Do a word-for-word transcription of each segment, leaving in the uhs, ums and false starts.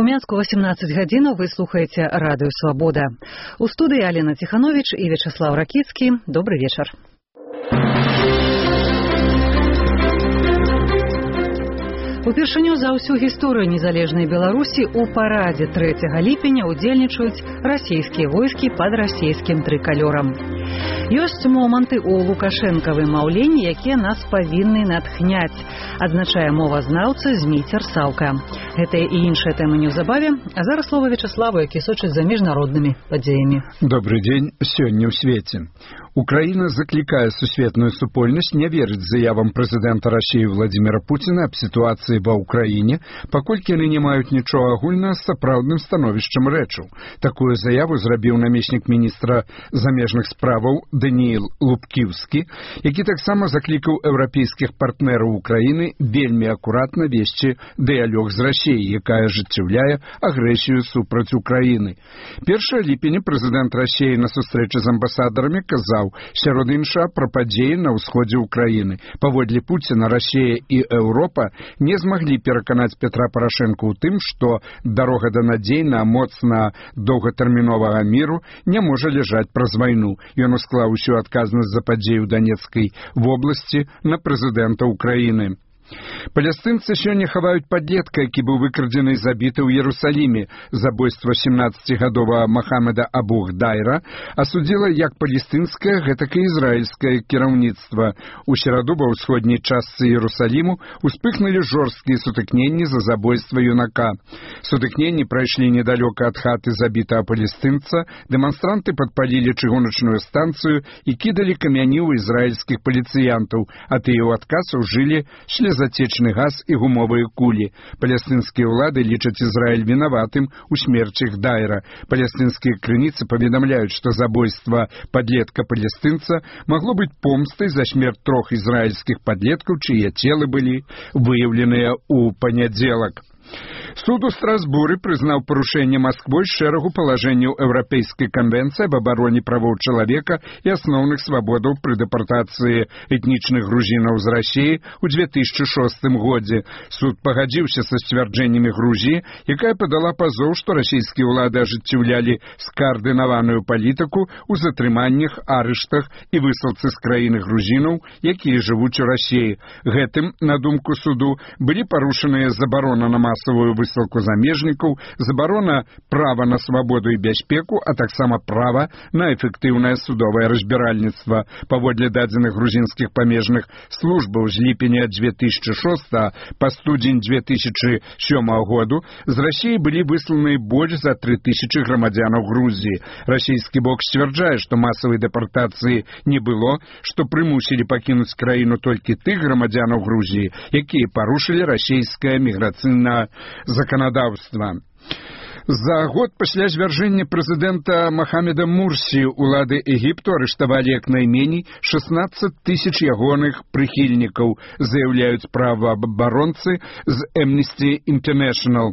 У Менску восемнадцать гадзінаў вы слухаеце радыё Свабода. У студыі Алена Тиханович і Вячеслав Ракіцкі. Добрый вечар. Упершыню за ўсю гісторыю незалежнай Беларусі у парадзе трэцяга ліпеня удзельнічаюць расійскія войскі пад расійскім трыкалёрам. Ёсць моманты ў лукашэнкавым маўленні, якія нас павінны натхняць, адзначае мовазнаўца Зміцер Саўка. Гэтыя і іншыя тэмы неўзабаве, а зараз слова Вячеславу, які сочыць за міжнароднымі падзеямі. Добрый дзень, сёння ў свеце. Украина закликая сусветную супольнасць не верыць заявам прэзідэнта Расіі Владимира Путина аб сітуацыі ва Украіне, паколькі яны не маюць нічога агульнага з сапраўдным становішчам рэчаў. Такую заяву зрабіў намеснік міністра замежных справаў Даніэл Лубкіўскі, які таксама заклікаў еўрапейскіх партнераў Украіны вельмі акуратна весці дыялог з Расіяй, якая ажыццяўляе агрэсію супраць Украіны. першага ліпеня прэзідэнт Расіі на сустрэчы з амбасадарамі казаў, сярод іншага, пра падзеі на ўсходзе Украіны. Паводле Пуціна, Расія і Еўропа не змаглі пераканаць Петра Парашэнка ў тым, што дарога да надзейна, моцна доўгатэрміновага міру не можа ляжаць праз вайну. Ён усклаў усю адказнасць за падзеі ў Данецкай вобласці на прэзідэнта Украіны. Палестынцы сёння хаваюць падлетка, які быў выкрадзены і забіты ў Іерусаліме. Забойства семнаццацігадовага Махамеда Абу-Гдайра асудзіла як палестынскае, гэтак і ізраільскае кіраўніцтва. У сераду ва ўсходняй частцы Іерусаліму успыхнулі жорсткія сутыкненні за забойства юнака. Сутыкненні прайшлі недалёка ад хаты забітага палестынца, дэманстранты падпалілі чыгуначную станцыю і кідалі камяні ў ізраільскіх паліцыянтаў, а тыя ў адказ ужылі слезатечны газ і гумовыя кулі. Палестынскія ўлады лічаць Ізраіль вінаватым у смерці Гдайра. Палестынскія крыніцы паведамляюць, што забойства падлетка-палестынца магло быць помстай за смерць трох ізраільскіх падлеткаў, чые целы былі выяўленыя ў панядзелак. Суд у Страсбуры прызнаў парушэнне Масквой шэрагу палажэнняў Еўрапейскай канвенцыі аб абароне правоў чалавека і асноўных свабодаў пры дэпартацыі этнічных грузінаў з Расіі ў дзве тысячы шостым годзе. Суд пагадзіўся са сцвярджэннямі Грузіі, якая падала пазоў, што расійскія ўлады ажыццяўлялі скаардынаваную палітыку ў затрыманнях, арыштах і высылцы з краіны грузінаў, якія жывуць у Расіі. Гэтым, на думку суду, былі парушаныя забарона на масавую высылку замежнікаў, забарона права на свабоду і бяспеку, а таксама права на эфектыўнае судовае разбіральніцтва. Паводле дадзеных грузінскіх памежных службаў з ліпеня дзве тысячы шостага па студзень дзве тысячы сёмага году з Расіі былі высланы больш за тры тысячы грамадзянаў Грузіі. Расійскі бок сцвярджае, што масавай дэпартацыі не было, што прымусілі пакінуць краіну толькі тых грамадзянаў Грузіі, якія парушылі расійскае міграцыйнае заканадаўства. За год пасля звяржэння прэзідэнта Махамеда Мурсі улады Егіпту арыштавалі як найменей шэснаццаць тысяч ягоных прыхільнікаў, заяўляюць праваабаронцы з Amnesty International.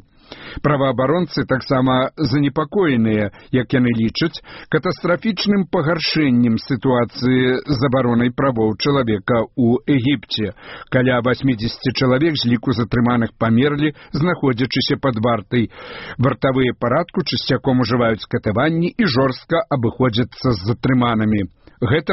Праваабаронцы таксама занепакоеныя, як яны лічаць, катастрафічным пагаршэннем сітуацыі з абаронай правоў чалавека ў Егіпце. Каля васьмідзесят чалавек з ліку затрыманых памерлі, знаходзячыся пад вартай. Вартавыя парадку часцяком ужываюць катаванні і жорстка абыходзяцца з затрыманымі. Гэта